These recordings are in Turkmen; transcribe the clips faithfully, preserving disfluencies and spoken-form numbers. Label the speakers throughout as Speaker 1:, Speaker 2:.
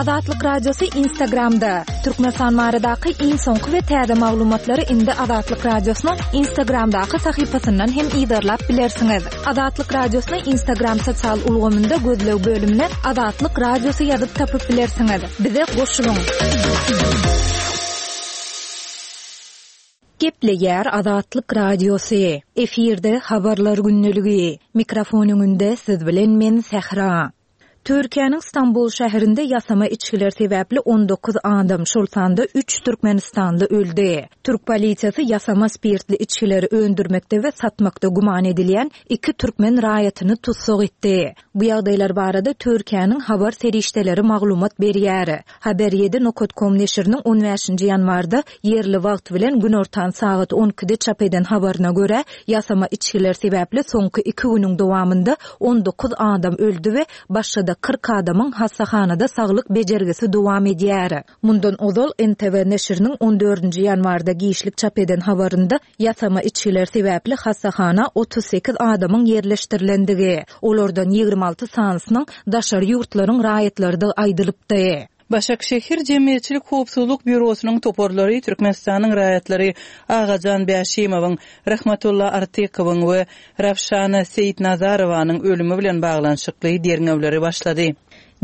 Speaker 1: Azatlyk Radiosy Instagramda. Türkmenistan baradaky iň soňky we täze maglumatlary indi Azatlyk Radiosynyň Instagramdaky sahypasyndan hem yzarlap bilersiňiz. Azatlyk Radiosyny Instagram sosial ulgamynda gözleg bölümine Azatlyk Radiosy ýazyp tapyp bilersiňiz. Bize goşulyň. Gepleýär Azatlyk Radiosy. Efirde habarlar gündeligi. Mikrofon öňünde siz bilen men Sähra. Türkiýäniň Stambul şäherinde ýasama içgiler sebäpli on dokuz adam, şol sanda üç Türkmenistanly öldi. Türk polisiýasy ýasama spirtli içgileri öndürmekde we satmakda güman edilýän iki türkmen raýatyny tussag etdi. Bu ýagdaýlar barada Türkiýäniň habar serişdeleri maglumat berýär. Haber ýedi nokta com neşiriniň on bäşinji ýanwarda ýerli wagt bilen günortan sagat on ikide çap eden habaryna görä, ýasama içgiler sebäpli soňky iki günüň dowamynda on dokuz adam öldi we başga-da kyrk adamyň hassahanada saglyk bejergisi dowam edýär. Mundan ozal N T V neşiriniň on dördünji ýanwarda giçlik çap eden habarynda ýasama içgiler sebäpli hassahana otuz sekiz adamyň ýerleşdirilendigi, olardan ýigrimi alty sanysynyň daşary ýurtlaryň raýatlarydygy aýdylypdy.
Speaker 2: Başakşehir Jemgyýetçilik Howpsuzlyk Býurosynyň toparlary Türkmenistanyň raýatlary Agajan Bäşimowyň, Rahmatulla Artykowyň we Rawşana Seýitnazarowanyň ölümi bilen baglanyşykly derňewleri başlady.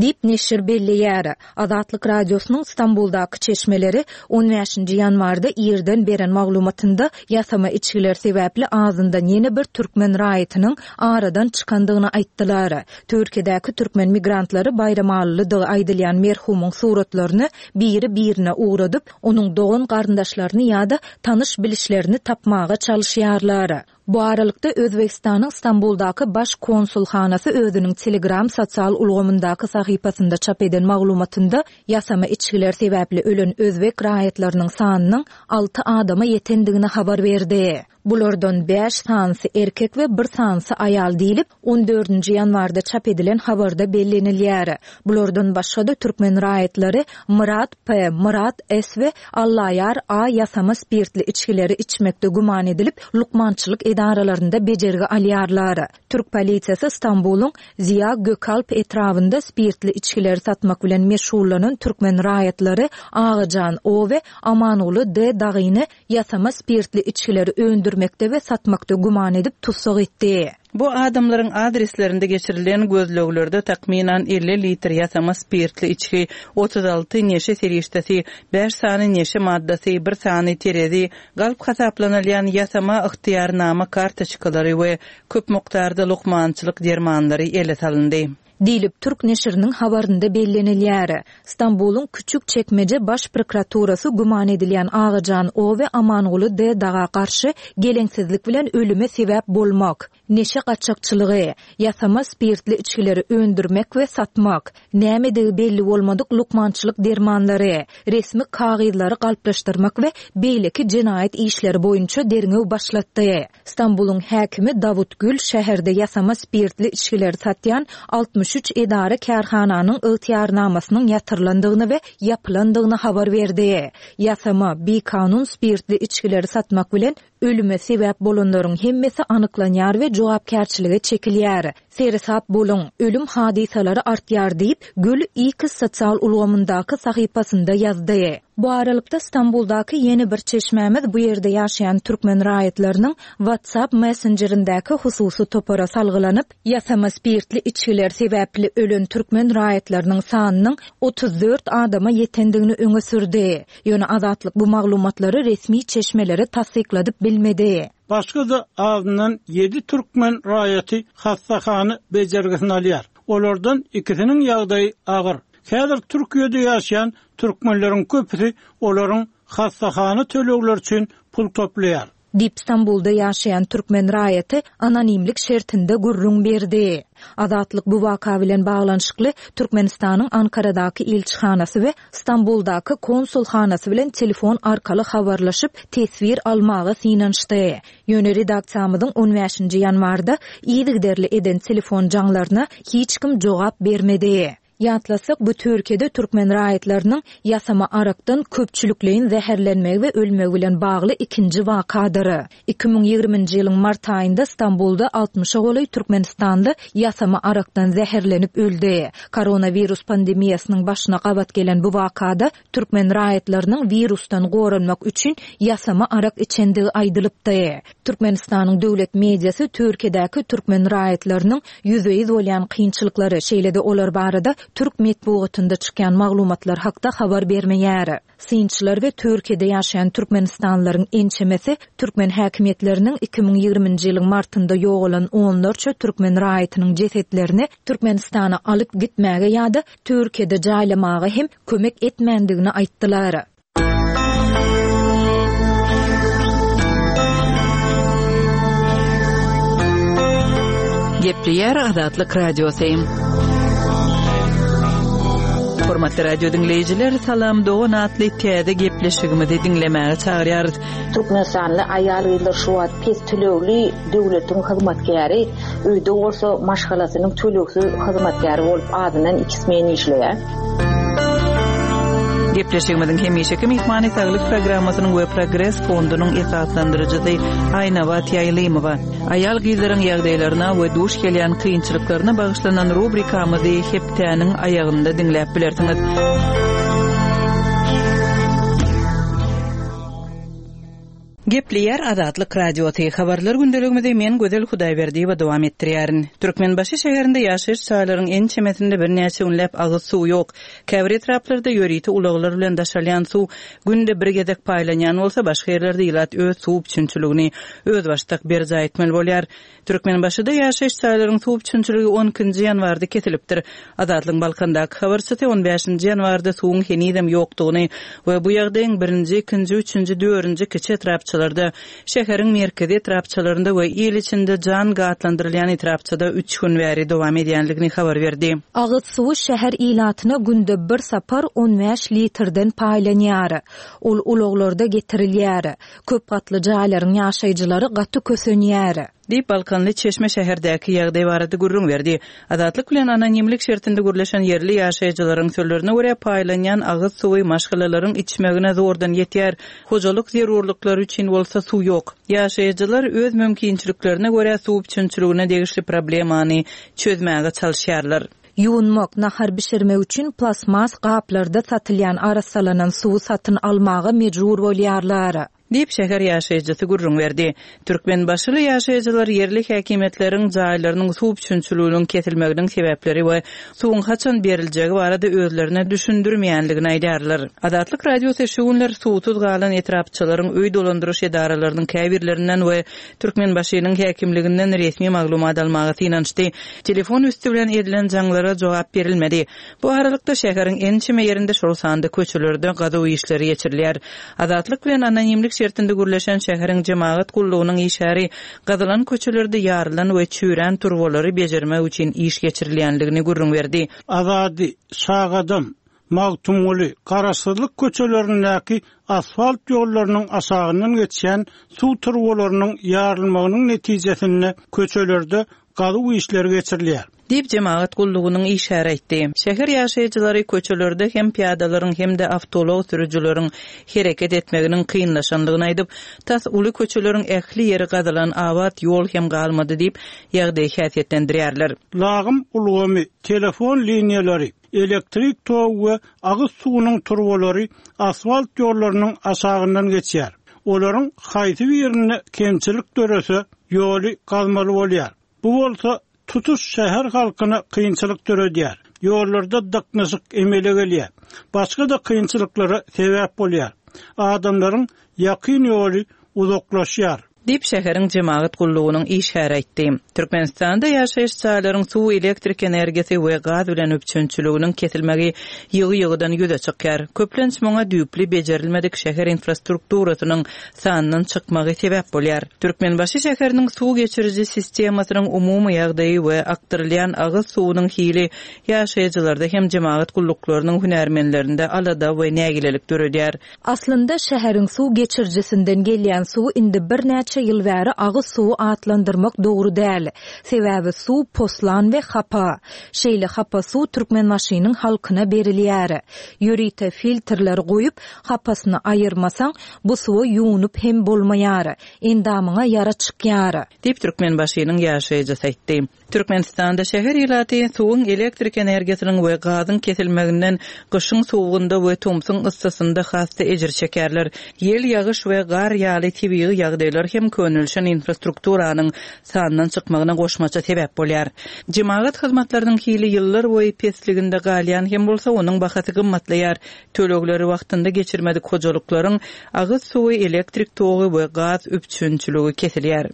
Speaker 1: Diýip neşir belleýär. Azatlyk Radiosynyň Stambuldaky çeşmeleri on bäşinji ýanwarda irden beren maglumatynda ýasama içgiler sebäpli azyndan ýene bir türkmen raýatynyň aradan çykandygyny aýtdylar. Türkiýedäki türkmen migrantlary Baýramalylydygy aýdylýan merhumyň suratlaryny biri-birine ugradyp, onuň dogan garyndaşlaryny ýa-da tanyş bilişlerini tapmaga çalyşýarlar. Bu aralykda Özbekistanyň Stambuldaky baş konsulhanasy özüniň Telegram sosial ulgamyndaky sahypasynda çap eden maglumatynda ýasama içgiler sebäpli ölen özbek raýatlarynyň sanynyň alty adama ýetendigini habar berdi. Bulardan bäş sanysy erkek we bir sanysy aýal diýlip, on dördünji ýanwarda çap edilen habarda bellenilýär. Bulardan başga-da türkmen raýatlary Myrat P, Myrat S we Allaýar A ýasama spirtli içgileri içmekde güman edilip, lukmançylyk edaralarynda bejergi alýarlar. Türk polisiýasy Stambulyň Ziya Gökalp etrabynda spirtli içgileri satmak bilen meşgullanan türkmen raýatlary Agajan O we Amanguly D dagyny ýasama spirtli içgileri öndürmekde we satmakda güman edip tussag etdi.
Speaker 2: Bu adamlaryň adreslerinde geçirilen gözleglerde takmynan elli litr ýasama spirtli içgi, otuz alty neşe serişdesi, bäş sany neşe maddasy, bir sany terezi, galp hasaplanylýan ýasama ygtyýarnama kartoçkalary we köp mukdarda lukmançylyk dermanlary ele salyndy.
Speaker 1: Diýlip Türk neşiriniň habarynda bellenilýär. Stambulyň Küçük Çekmece Baş Prokuraturasy güman edilýän Agajan O we Amanguly D daga garşy geleňsizlik bilen ölüme sebäp bolmak, neşe gaçakçylygy, ýasama spirtli içgileri öndürmek we satmak, nämedigi belli bolmadyk lukmançylyk dermanlary, resmi kagyzlary galplaşdyrmak we beýleki jenaýat işleri boýunça derňew başlatdy. Stambulyň häkimi Dawut Gül şäherde ýasama spirtli içgileri satýan altmyş üç edara kärhananyň ygtyýarnamasynyň ýatyrylandygyny we ýapylandygyny habar berdi. Ýasama, bikanun spirtli içgileri satmak bilen ölüme sebäp bolanlaryň hemmesi anyklanýar we jogapkärçilige çekilýär. Seresap boluň, ölüm hadysalary artýar diýip, Gül X sosial ulgamyndaky sahypasynda ýazdy. Bu aralykda Stambuldaky ýene bir çeşmämiz bu ýerde ýaşaýan türkmen raýatlarynyň WhatsApp messenjerindäki hususy topara salgylanyp, ýasama spirtli içgiler sebäpli ölen türkmen raýatlarynyň sanynyň otuz dört adama ýetendigini öňe sürdi. Ýöne Azatlyk bu maglumatlary resmi çeşmelere tassykladyp bilmedi.
Speaker 3: Başga-da azyndan ýedi türkmen raýaty hassahana bejergisini alýar. Olardan ikisiniň ýagdaýy agyr. Häzir Türkiýede ýaşaýan türkmenleriň köpüsi olaryň hassahana tölegleri üçin pul toplaýar.
Speaker 1: Diýip Stambulda ýaşaýan türkmen raýaty anonimlik şertinde gürrüň berdi. Azatlyk bu waka bilen baglanyşykly Türkmenistanyň Ankaradaky ilçihanasy we Stambuldaky konsulhanasy bilen telefon arkaly habarlaşyp teswir almaga synanyşdy. Ýöne redaksiýamyzyň on bäşinji ýanwarda yzygiderli eden telefon jaňlaryna hiç kim jogap bermedi. Ýatlasak, bu Türkiýede türkmen raýatlarynyň ýasama arakdan köpçülikleýin zäherlenmegi we ölmegi bilen bagly ikinji wakadyr. Iki müň ýigriminji ýylyň mart aýynda Stambulda altmyşa golaý Türkmenistanly ýasama arakdan zäherlenip öldi. Koronawirus pandemiýasynyň başyna gabat gelen bu wakada türkmen raýatlarynyň wirusdan goranmak üçin ýasama arak içendigi aýdylypdy. Türkmenistanyň döwlet mediasy Türkiýedäki türkmen raýatlarynyň ýüzbe-ýüz bolýan kynçylyklary, şeýle-de olar barada türk metbugatynda çykýan maglumatlar hakda habar bermeýär. Synçylar we Türkiýede ýaşaýan türkmenistanlylaryň ençemesi türkmen häkimiýetleriniň iki müň ýigriminji ýylyň martynda ýogalan onlarça türkmen raýatynyň jesetlerini Türkmenistana alyp gitmäge ýa-da Türkiýede jaýlamaga hem kömek etmändigini aýtdylar.
Speaker 2: Gepleýär Azatlyk Radiosy. Hormatly radio diňleýjiler, Salam dogan atly täze gepleşigimizi diňlemäge çagyrýarys.
Speaker 4: Türkmenistanly aýal-gyzlar şu wagt pes tölegli döwletiň hyzmatkäri, öýde bolsa maşgalasynyň tölegsiz hyzmatkäri bolup azyndan iki smen işleýär.
Speaker 2: Gepleşigimiziň hemişeki myhmany Saglyk programmasynyň we Progres fondunyň esaslandyryjysy Aýnabat Ýaýlymowa. Aýal-gyzlaryň ýagdaýlaryna we duş gelýän kynçylyklaryna bagyşlanan rubrikamyzy hepdäniň aýagynda diňläp bilersiňiz. Gepleýär Azatlyk Radiosy. Habarlar gündeligimizi men Gözel Hudaýberdiýewa dowam etdirýärin. Türkmenbaşy şäherinde ýaşaýyş jaýlaryň ençemesinde birnäçe günläp agyz suw ýok. Käbir etraplarda ýörite ulaglar bilen daşalýan suw günde bir gezek paýlanýan bolsa, başga ýerlerde ilat öz suw üpjünçiligini özbaşdak berjaý etmeli bolýar. Türkmenbaşyda ýaşaýyş jaýlaryň suw üpjünçiligi on ikinji ýanwarda kesilipdir. Azatlygyň Balkandaky habarçysy on bäşinji ýanwarda suwuň henizem ýokdugyny we bu ýagdaýyň birinji, ikinji, üçünji, dördünji kiçi etrapçalarda, şäheriň merkezi etrapçalarynda we il içinde jan gatlandyrylýan etrapçada üç gün bäri dowam edýänligini habar berdi.
Speaker 1: Agyz suwy şäher ilatyna günde bir sapar on bäş litrden paýlanýar. Ol ulaglarda getirilýär. Köp gatly jaýlaryň ýaşaýjylary gaty kösenýär.
Speaker 2: Diýip Balkanly Çeşme şäherdäki ýagdaý barada gürrüň berdi. Azatlyk bilen anonimlik şertinde gürleşen ýerli ýaşaýjylaryň sözlerine görä paýlanýan agyz suwy maşgalalaryň içmegine zordan ýetýär. Hojalyk zerurlyklary üçin bolsa suw ýok. Ýaşaýjylar öz mümkinçiliklerine görä suw üpjünçiligine degişli problemany çözmäge çalyşýarlar.
Speaker 1: Ýuwunmak, nahar bişirmek üçin plastmas gaplarda satylýan arassalanan suwy satyn almaga mejbur bolýarlar.
Speaker 2: Diýip şäher ýaşaýjysy gürrüň berdi. Türkmenbaşyly ýaşaýjylar ýerli häkimiýetleriň jaýlarynyň suw üpjünçiliginiň kesilmeginiň sebäpleri we suwuň haçan beriljegi barada özlerine düşündirmeýänligini aýdarlar. Azatlyk Radiosy şu günler suwsuz galan etrapçalaryň öý dolandyryş edaralarynyň käbirlerinden we Türkmenbaşynyň häkimliginden resmi maglumat almaga synanyşdy. Telefon üstü bilen edilen jaňlara jogap berilmedi. Bu aralykda şäheriň ençeme ýerinde şol sanda köçelerde gazuw işleri geçirilýär. Azatlyk bilen anonimlik şertinde gürleşen şäheriň jemagat gullugynyň işgäri gazylan köçelerde ýarylan we çüýrän turbalary bejermek üçin iş geçirilýänligini gürrüň berdi.
Speaker 3: Azady, Şagadam, Magtymguly, Garaşsyzlyk köçelerindäki asfalt ýollarynyň aşagyndan geçýän suw turbalarynyň ýarylmagynyň netijesinde köçelerde gazuw işleri geçirilýär.
Speaker 2: Diýip jemagat gullugynyň işgäri aýtdy. Şäher ýaşaýjylary köçelerde hem piýadalaryň hem-de awtoulag sürüjileriň hereket etmeginiň kynlaşanlygyny aýdyp, tas uly köçeleriň ähli ýeri gazylan abat ýol hem galmady diýip ýagdaýy häsiýetlendirýärler.
Speaker 3: Lagym ulgamy, telefon liniýalary, elektrik togy we agyz suwunyň turbalary asfalt ýollarynyň aşagyndan geçýär. Olaryň haýsy birinde kemçilik dörese, ýoly gazmaly bolýar. Bu bolsa tutuş şäher halkyna kynçylyk döredýär. Ýollarda dyknyşyk emele gelýär. Başga da kynçylyklara sebäp bolýar. Adamlaryň ýakyn ýoly uzaklaşýar.
Speaker 2: Diýip şäheriň jemagat gullugynyň işgäri aýtdy. Türkmenistanda ýaşaýyş jaýlaryň suw, elektrik energiýasy we gaz bilen üpjünçiliginiň kesilmegi ýygy-ýygydan ýüze çykýar. Köplenç muňa düýpli bejerilmedik şäher infrastrukturasynyň sandan çykmagy sebäp bolýar. Türkmenbaşy şäheriniň suw geçiriji sistemasynyň umumy ýagdaýy we akdyrylýan agyz suwunyň hili ýaşaýjylarda hem jemagat gulluklarynyň hünärmenlerinde alada we nägilelik döredýär.
Speaker 1: Aslynda şäheriň suw geçirijisinden gelýän suw indi birnäçe birnäçe ýyl bäri agyz suwy atlandyrmak dogry däl. Sebäbi suw poslan we hapa. Şeýle hapa suw Türkmenbaşynyň halkyna berilýär. Ýörite filtrler goýup, hapasyny aýyrmasaň, bu suwa ýuwunyp hem bolmaýar. Endamyňa ýara çykýar.
Speaker 2: Diýip Türkmenbaşynyň ýaşaýjysy aýtdy. Türkmenistanda şäher ilaty suwuň elektrik energiýasynyň we gazyň kesilmeginden gyşyň sowugynda we tomsuň yssysynda has-da ejir çekerler. Ýel, ýagyş we gar ýaly tebigy ýagdaýlar hem könelişen infrastrukturanyň sandan çykmagyna goşmaça sebäp bolýar. Jemagat hyzmatlarynyň hili ýyllar boýy pesliginde galýan hem bolsa onuň bahasy gymmatlaýar. Tölegleri wagtynda geçirmedik hojalyklaryň agyz suwy, elektrik togy we gaz üpjünçiligi kesilýär.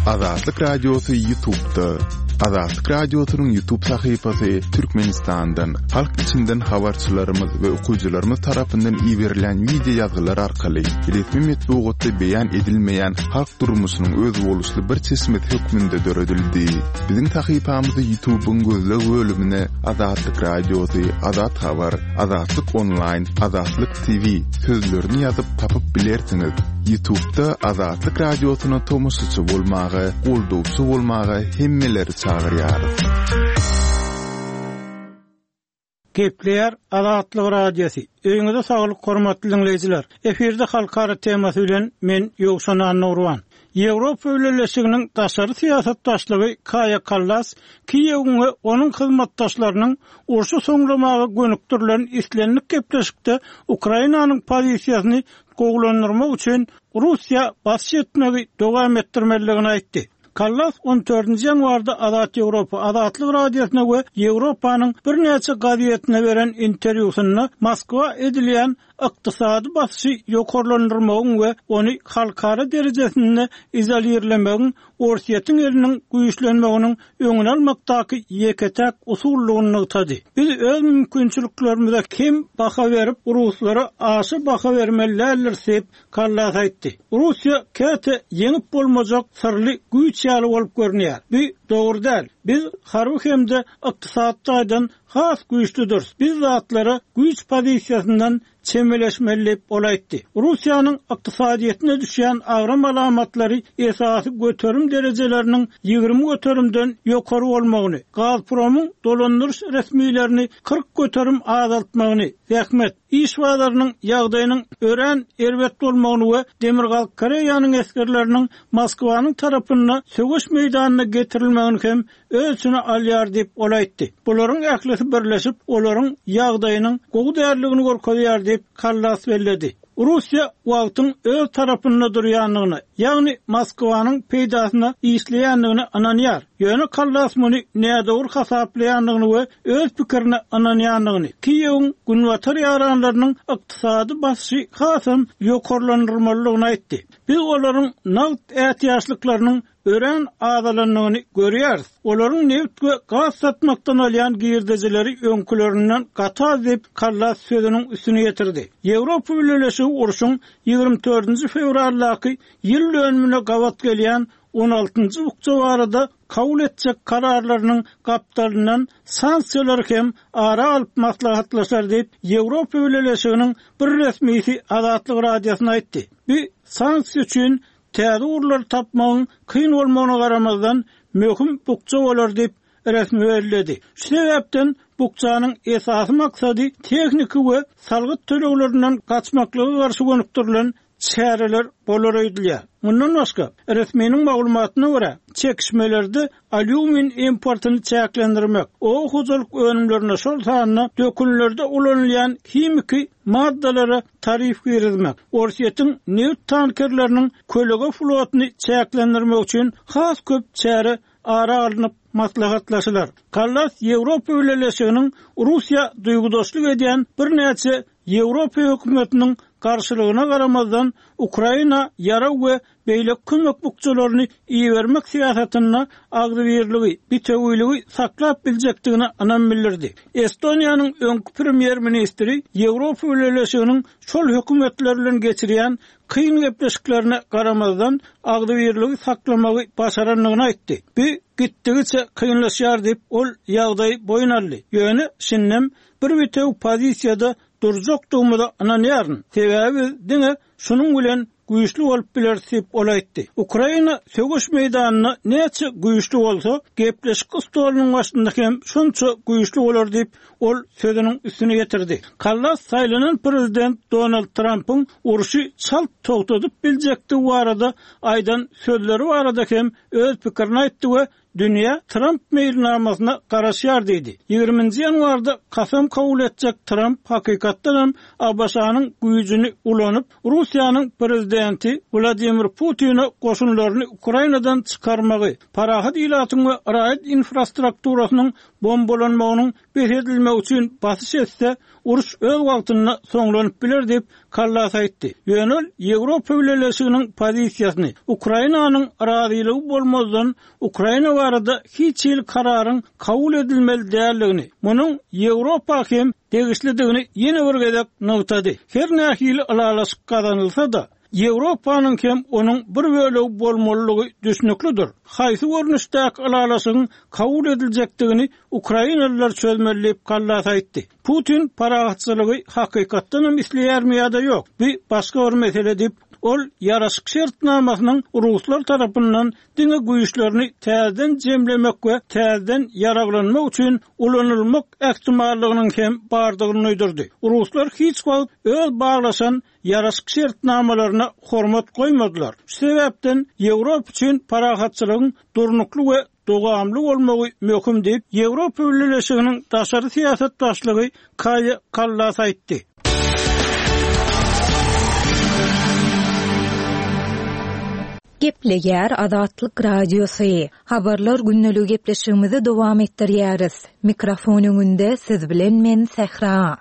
Speaker 5: Azatlyk Radiosy YouTube'da. Azatlyk Radiosynyň YouTube sahypasy Türkmenistandan, halk içinden habarçylarymyz we okyjylarymyz tarapyndan iberilen wideo ýazgylar arkaly resmi metbugatda beýan edilmeýän halk durmuşynyň özboluşly bir çeşmesi hökmünde döredildi. Biziň sahypamyzy YouTube'yň gözleg bölümine Azatlyk Radiosy, Azat Habar, Azatlyk Online, Azatlyk T V sözlerini ýazyp tapyp bilersiňiz. YouTube'da Azatlyk Radiosyna tomaşaçy bolmaga, goldawçy bolmaga hemmeleri çagyrýarys.
Speaker 3: Gepleýär Azatlyk Radiosy. Öýüňize saglyk hormatly dinleýjiler. Efirde halkara temasy bilen men Ýowşan Annurwan. Ýewropa Bileleşiginiň daşary syýasat başlygy Kaýa Kallas Kiýewiň we onuň hyzmatdaşlarynyň urşy soňlamaga gönükdirilen islendik gepleşikde Ukrainanyň pozisiýasyny gowulandyrmak üçin Russiýa basyş etmegi dowam etdirmelidigini aýtdy. Kallas on dördünji ýanwarda Azat Ýewropa Azatlyk Radiosyna we Ýewropanyň birnäçe gazetine beren interwýusynda Moskwa edilýän ykdysady basyşy ýokarlandyrmagyň we ony halkara derejesinde izolirlemegiň Orsýetiň eliniň güýçlenmeginiň öňüni almakdaky ýeke-täk usullygyny nygtady. Biz öz mümkinçiliklerimize kem baha berip, ruslara aşa baha bermeli däldiris diýip Kallas aýtdy. Russiýa käte ýeňip bolmajak syrly güýç ýaly bolup görünýär. Bu dogry däl. Biz harby hem-de ykdysady taýdan has güýçlüdiris. Biz zatlara güýç pozisiýasyndan çemeleşmeli diýip ol aýtdy. Russiýanyň ykdysadyýetine düşýän agram alamatlary esasy göterim derejeleriniň ýigrimi göterimden ýokary bolmagyny, Gazpromyň dolandyryş resmilerini kyrk göterim azaltmagyny, zähmet, iş bazarynyň ýagdaýynyň örän erbet bolmagyny we Demirgazyk Koreýanyň esgerleriniň Moskwanyň tarapynda söweş meýdanyna getirilmegini hem öz içine alýar diýip ol aýtdy. Bularyň ählisi birleşip, olaryň ýagdaýynyň gowy däldigini görkezýär diýip Kallas belledi. Russiýa wagtyň öz tarapynda durýandygyny, ýagny Moskwanyň peýdasyna işleýändigini ynanýar. Ýöne Kallas muny nädogry hasaplaýandygyny we öz pikirine ynanýandygyny, Kiýewiň günbatar ýaranlarynyň ykdysady basyşy hasam ýokarlandyrmalydygyny aýtdy. Biz olaryň nagt ätiýaçlyklarynyň örän azalandygyny görýäris. Olaryň neft we gaz satmakdan alýan girdejileri öňkülerinden gaty az diýip Kallas sözüniň üstüne ýetirdi. Ýewropa Bileleşigi urşuň ýigrimi dördünji fewraldaky ýyl dönümine gabat gelýän on altynjy bukja barada kabul etjek kararlarynyň gapdalyndan sanksiýalary hem ara alyp maslahatlaşar diýip Ýewropa Bileleşiginiň bir resmisi Azatlyk Radiosyna aýtdy. Bu sanksiýa üçin täze ugurlary tapmagyň kyn bolmagyna garamazdan möhüm bukja bolar diýip resmi belledi. Şu sebäpden bukjanyň esasy maksady tehniki we salgyt töleglerinden gaçmaklyga garşy gönükdirilen çäreler bolar öýdülýär. Mundan başga, resminiň maglumatyna görä, çekişmelerde alýumin importyny çäklendirmek, oba hojalyk önümlerine şol sanda dökünlerde ulanylýan himiki maddalara tarif girizmek, Orsýetiň neft tankerleriniň kölege flotyny çäklendirmek üçin has köp çäre ara alnyp maslahatlaşylar. Kallas Ýewropa Bileleşiginiň Russiýa duýgudaşlyk edýän birnäçe Ýewropa hökümetiniň garşylygyna garamazdan Ukraina ýarag we beýleki kömek bukjalaryny ibermek syýasatynda agzybirligi, bitewiligi saklap biljekdigine ynam bildirdi. Estoniýanyň öňki premýer-ministri Ýewropa Bileleşiginiň şol hökümetler bilen geçirýän kyn gepleşiklerine garamazdan agzybirligi saklamagy başarandygyny aýtdy. Bu gitdigiçe kynlaşýar diýip ol ýagdaý boýun aldy. Ýöne şindem bir bitew pozisiýada durjakdygymyza ynanýaryn. Sebäbi biz diňe şunuň bilen güýçli bolup bileris diýip ol aýtdy. Ukraina söweş meýdanynda näçe güýçli bolsa, gepleşik stolunyň başynda hem şonça güýçli bolar diýip ol sözüniň üstüne getirdi. Kallas saýlanan prezident Donald Trumpyň urşy çalt togtadyp biljekdigi barada aýdan sözleri barada hem öz pikirini aýtdy we dünýä Trump meýilnamasyna garaşýar diýdi. Ýigriminji ýanwarda kasam kabul etjek Trump hakykatdan hem ABŞ-nyň güýjüni ulanyp, Russiýanyň prezidenti Wladimir Putine goşunlaryny Ukrainadan çykarmagy, parahat ilatyň we raýat infrastrukturasynyň bombalanmagynyň bes edilmegi üçin basyş etse, uruş öz wagtynda soňlanyp biler diýip Kallas aýtdy. Ýöne ol Ýewropa Bileleşiginiň pozisiýasyny Ukrainanyň razylygy bolmazdan Ukraina barada hiç hili kararyň kabul edilmeli däldigini, munuň Ýewropa hem degişlidigini ýene bir gezek nygtady. Her nähili ylalaşyk gazanylsa-da, Ýewropanyň hem onuň bir bölegi bolmalydygy düşnüklidir. Haýsy görnüşdäki ylalaşygyň kabul ediljekdigini Ukrainalylar çözmeli diýip Kallas aýtdy. Putin parahatçylygy hakykatdan hem isleýärmi ýa-da ýok? Bu başga bir mesele diýip, ol ýaraşyk şertnamasynyň ruslar tarapyndan diňe güýçlerini täzeden jemlemek we täzeden ýaraglanmak üçin ulanylmak ähtimallygynyň hem bardygyny duýdurdy. Ruslar hiç wagt öz baglaşan ýaraşyk şertnamalaryna hormat goýmadylar. Şu sebäpden Ýewropa üçin parahatçylygyň durnukly we dowamly bolmagy möhüm diýip, Ýewropa Bileleşiginiň daşary syýasat başlygy Kaýa Kallas aýtdy.
Speaker 1: Gepleýär Azatlyk Radiosy. Habarlar gündelik gepleşigimizi dowam etdirýäris. Mikrofon öňünde siz bilen men Sähra.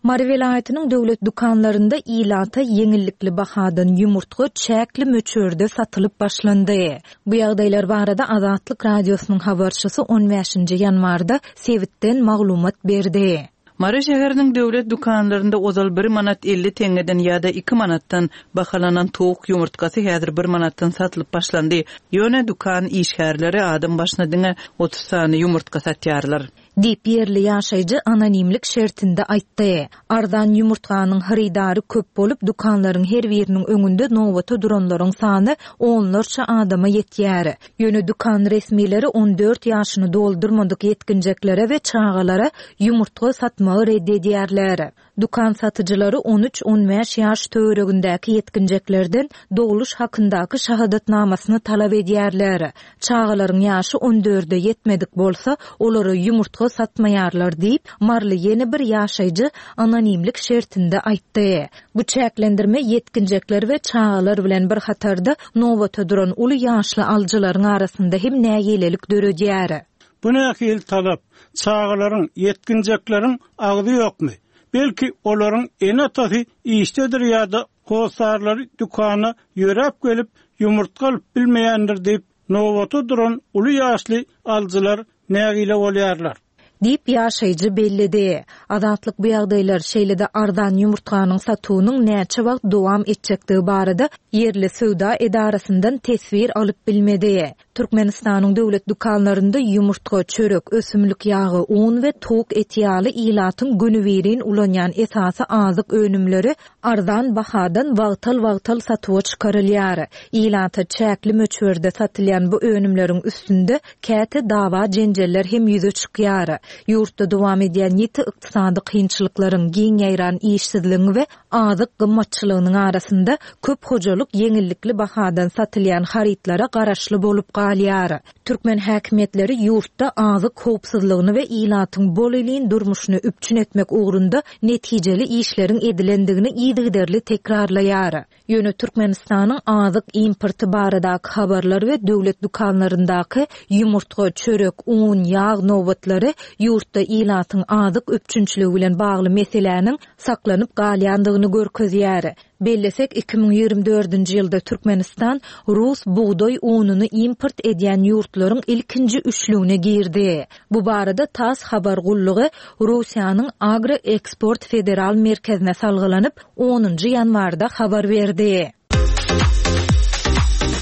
Speaker 1: Mary welaýatynyň döwlet dükanlarynda ilata ýeňillikli bahadan ýumurtga çäkli möçberde satylyp başlandy. Bu ýagdaýlar barada Azatlyk Radiosynyň habarçysy on bäşinji ýanwarda sebitden maglumat berdi.
Speaker 2: Mary şäheriniň döwlet dükanlarynda ozal bir manat elli teňňeden ýa-da iki manatdan bahalanan towuk ýumurtgasy häzir bir manatdan satylyp başlandy. Ýöne dükan işgärleri adam başyna diňe otuz sany ýumurtga satýarlar.
Speaker 1: Diýip ýerli ýaşaýjy anonimlik şertinde aýtdy. Arzan ýumurtganyň hyrydary köp bolup, dükanlaryň her biriniň öňünde nobata duranlaryň sany onlarça adama ýetýär. Ýöne dükan resmileri on dört ýaşyny doldurmadyk ýetginjeklere we çagalara ýumurtga satmagy red edýärler. Dükan satyjylary on üç on bäş ýaş töweregindäki ýetginjeklerden dogluş hakyndaky şahadatnamasyny talap edýärler. Çagalaryň ýaşy on dörde ýetmedik bolsa, olara ýumurtga satmaýarlar diýip, Marly ýene bir ýaşaýjy anonimlik şertinde aýtdy. Bu çäklendirme ýetginjekler we çagalar bilen bir hatarda nobata duran uly ýaşly alyjylaryň arasynda hem nägilelik döredýär.
Speaker 3: Bu nähili talap? Çagalaryň, ýetginjekleriň agzy ýokmy? Belki olaryň ene-atasy işdedir ýa-da hossarlary dükana ýöräp gelip ýumurtga alyp bilmeýändir diýip, nobata duran uly ýaşly alyjylar nägile bolýarlar.
Speaker 1: Diýip ýaşaýjy belledi. Azatlyk bu ýagdaýlar şeýle-de arzan ýumurtganyň satuwynyň näçe wagt dowam etjekdigi barada ýerli söwda edarasyndan teswir alyp bilmedi. Türkmenistanyň döwlet dükanlarynda ýumurtga, çörek, ösümlik ýagy, un we towuk eti ýaly ilatyň günübirin ulanýan esasy azyk önümleri arzan bahadan wagtal-wagtal satuwa çykarylýar. Ilata çäkli möçberde satylýan bu önümleriň üstünde käte dawa jenjeller hem ýüze çykýar. Ýurtda dowam edýän ýiti ykdysady kynçylyklaryň, giň ýaýran işsizligiň we azyk gymmatçylygynyň arasynda köp hojalyk ýeňillikli bahadan satylýan harytlara garaşly bolup galýar. Türkmen häkimiýetleri ýurtda azyk howpsuzlygyny we ilatyň bol-elin durmuşyny üpjün etmek ugrunda netijeli işleriň edilendigini yzygiderli tekrarlaýar. Ýöne Türkmenistanyň azyk importy baradaky habarlar we döwlet dükanlaryndaky ýumurtga, çörek, un, ýag nobatlary ýurtda ilatyň azyk üpjünçiligi bilen bagly meseläniň saklanyp galýandygyny görkezýär. Bellesek iki müň ýigrimi dördünji ýylda Türkmenistan rus bugdaý ununy import edýän ýurtlaryň ilkinji üçlügine girdi. Bu barada TASS habar gullugy Russiýanyň Agroeksport Federal Merkezine salgylanyp onunjy ýanwarda habar berdi.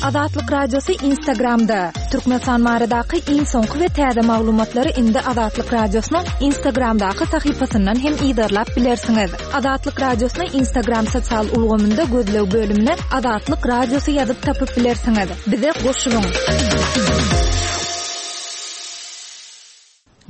Speaker 1: Azatlyk Radiosy Instagramda. Türkmenistan baradaky iň soňky we täze maglumatlary indi Azatlyk Radiosynyň Instagramdaky sahypasyndan hem yzarlap bilersiňiz. Azatlyk Radiosyny Instagram sosial ulgamynda gözleg bölümine Azatlyk Radiosy ýazyp tapyp bilersiňiz. Bize goşulyň.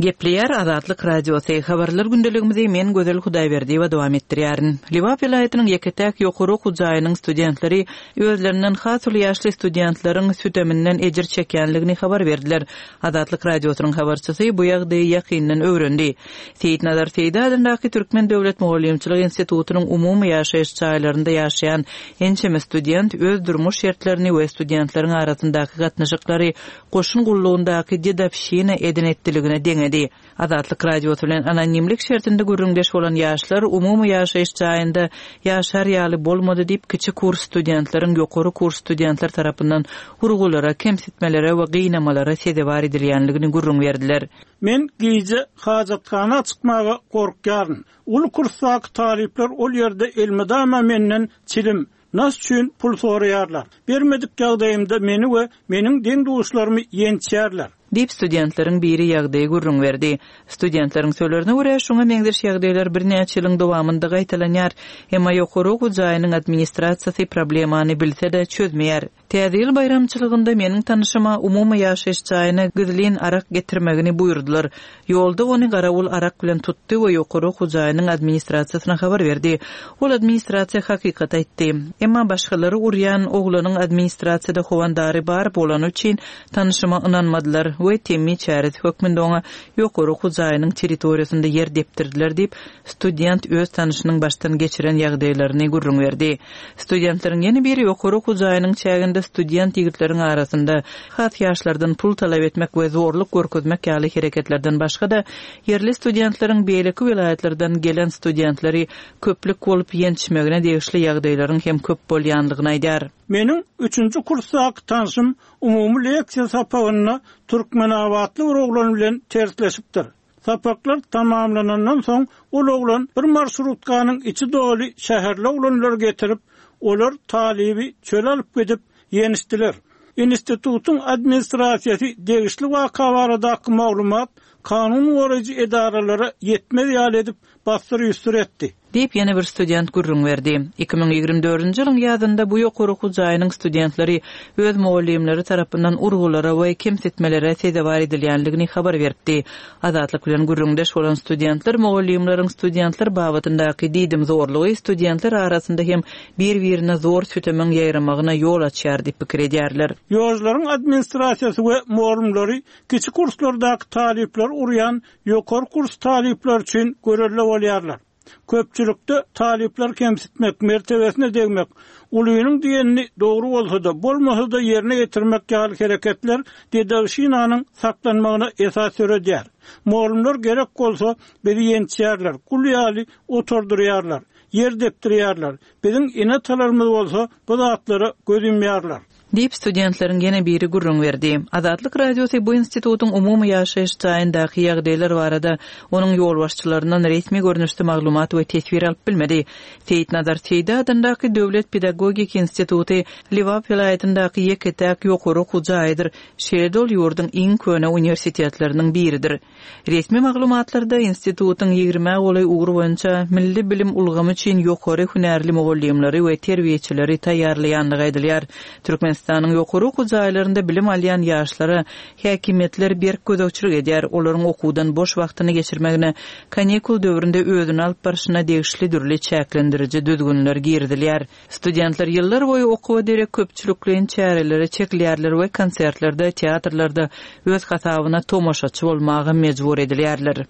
Speaker 2: Gepleýär Azatlyk Radiosy. Habarlar gündeligimizi men Gözel Hudaýberdiýewa dowam etdirýärin. Lebap welaýatynyň ýeke-täk ýokary okuw jaýynyň studentleri özlerinden has uly ýaşly studentleriň süteminden ejir çekýänligini habar berdiler. Azatlyk Radiosynyň habarçysy bu ýagdaýy ýakyndan öwrendi. Seýitnazar Seýdi adyndaky Türkmen döwlet mugallymçylyk institutynyň umumy ýaşaýyş jaýlarynda ýaşaýan ençeme student öz durmuş şertlerini we studentleriň arasyndaky gatnaşyklary goşun gullugyndaky dedowşina eden-etdiligine deňedi. Azatlyk Radiosy bilen anonimlik şertinde gürrüňdeş bolan ýaşlar umumy ýaşaýyş jaýynda ýaşar ýaly bolmady diýip kiçi kurs studentleriň ýokary kurs studentler tarapyndan urgulara, kemsitmelere we gynamalara sezewar edilýänligini gürrüň berdiler.
Speaker 3: Men gije hajathana çykmaga gorkýaryn. Uly kursdaky talyplar ol ýerde elmydama menden çilim, nas üçin pul soraýarlar. Bermedik ýagdaýymda meni we meniň deň-duşlarymy ýençýärler.
Speaker 2: Diýip studentleriň biri ýagdaýy gürrüň berdi. Studentleriň sözlerine görä şoňa meňzeş ýagdaýlar birnäçe ýylyň dowamynda gaýtalanýar. Emma ýokary okuw jaýynyň administrasiýasy problemany bilse-de çözmeýär. Täze ýyl baýramçylygynda meniň tanyşyma umumy ýaşaýyş jaýyna gizlin arak getirmegini buýurdylar. Ýolda ony garawul arak bilen tutdy we ýokary okuw jaýynyň administrasiýasyna habar berdi. Ol administrasiýa hakykat aýtdy. Emma başgalary urýan oglanyň administrasiýada howandary bar bolany üçin tanyşyma ynanmadylar we temmi çäresi hökmünde oňa ýokary okuw jaýynyň territoriýasynda ýer depdirdiler diýip student öz tanyşynyň başdan geçiren ýagdaýlaryny gürrüň berdi. Studentleriň ýene biri ýokary okuw jaýynyň çäginde student ýigitleriň arasynda has ýaşlardan pul talap etmek we zorluk görkezmek ýaly hereketlerden başga-da ýerli studentleriň beýleki welaýatlardan gelen studentleri köplük bolup ýençmegine degişli ýagdaýlaryň hem köp bolýanlygyny aýdar.
Speaker 3: Meniň üçünji kursdaky tanşym umumy leksiýa sapagynda Türkmenabatly bir oglan bilen tersleşipdir. Sapaklar tamamlanandan soň ol oglan bir marşrutkanyň içi doly şäherli oglanlar getirip, olar talyby çöle alyp gidip ýenişdiler. Institutyň administrasiýasy degişli waka baradaky maglumat kanun goraýjy edaralara ýetmez ýaly edip basdyr üstür etdi.
Speaker 2: Diýip ýene bir student gürrüň berdi. iki müň ýigrimi dördünji ýylyň ýazynda bu ýokary okuw jaýynyň studentleri öz mugallymlary tarapyndan urgulara we kemsitmelere sezewar edilýänligini habar beripdi. Azatlyk bilen gürrüňdeş bolan studentler mugallymlaryň studentler babatyndaky diýdim zorlugy studentler arasynda hem bir-birine zor sütemiň ýaýramagyna ýol açýar diýip pikir edýärler.
Speaker 3: Ýolcularyň administrasiýasy we mugallymlary kiçi kurslardaky talyplar urýan ýokary kurs talyplar üçin görelde bolýarlar. Köpçülükde talyplar kemsitmek, mertebesine degmek, ulynyň diýenini dogry bolsa-da, bolmasa-da ýerine getirmek ýaly hereketler dedowşinanyň saklanmagyna esas döredýär. Mugallymlar gerek bolsa bizi ýençýärler, gul ýaly oturdurýarlar, ýer depdirýärler. Biziň ene-atalarymyz bolsa bu zatlara göz ýumýarlar.
Speaker 2: Diýip studentleriň ýene biri gürrüň berdi. Azatlyk Radiosy bu institutyň umumy ýaşaýyş jaýyndaky ýagdaýlar barada onuň ýolbaşçylaryndan resmi görnüşde maglumat we teswir alyp bilmedi. Seýitnazar Seýdi adyndaky Döwlet pedagogik instituty Lebap welaýatyndaky ýeke-täk ýokary okuw jaýydyr. Şeýle-de ol ýurduň iň köne uniwersitetleriniň biridir. Resmi maglumatlarda institutyň ýigrimi golaý ugur boýunça milli bilim ulgamy üçin ýokary hünärli mugallymlary we terbiýeçileri taýýarlaýanlygy aýdylýar. Türkmenistanyň ýokary okuw jaýlarynda bilim alýan ýaşlara häkimiýetler berk gözegçilik edýär. Olaryň okuwdan boş wagtyny geçirmegine, kanikul döwründe özüni alyp barşyna degişli dürli çäklendiriji düzgünler girizilýär. Studentler ýyllar boýy okuwa derek köpçülikleýin çärelere çekilýärler we konsertlerde, teatrlarda öz hasabyna tomaşaçy bolmaga mejbur edilýärler.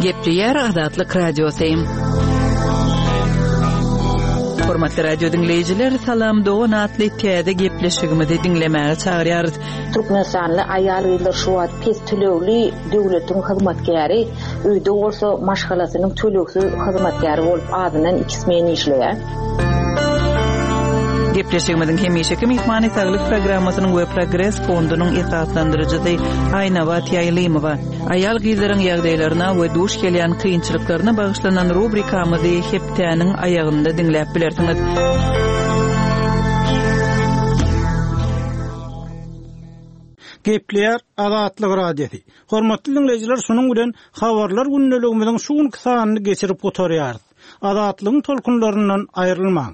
Speaker 2: Gepleýär Azatlyk Radiosy. Hormatly radio dinleýjiler, Salam Dogan atly täze gepleşigimizi diňlemäge çagyrýarys.
Speaker 4: Türkmenistanly aýal-gyzlar şu wagt pes tölegli döwletiň hyzmatkäri, öýde bolsa maşgalasynyň tölegsiz hyzmatkäri bolup azyndan iki smen işleýär.
Speaker 2: Gepleşigimiziň hemişeki myhmany Saglyk programmasynyň we Progres fondunyň esaslandyryjysy Aýnabat Ýaýlymowa. Aýal gyzlaryň ýagdaýlaryna we duş gelýän kynçylyklaryna bagyşlanan rubrikamyzy hepdäniň aýagynda diňläp bilersiňiz.
Speaker 3: Gepleýär Azatlyk Radiosy. Hormatly dinleýjiler, şunuň bilen habarlar gündeligimiziň şu günki sanyny geçirip gutarýarys. Azatlygyň tolkunlaryndan aýrylmaň.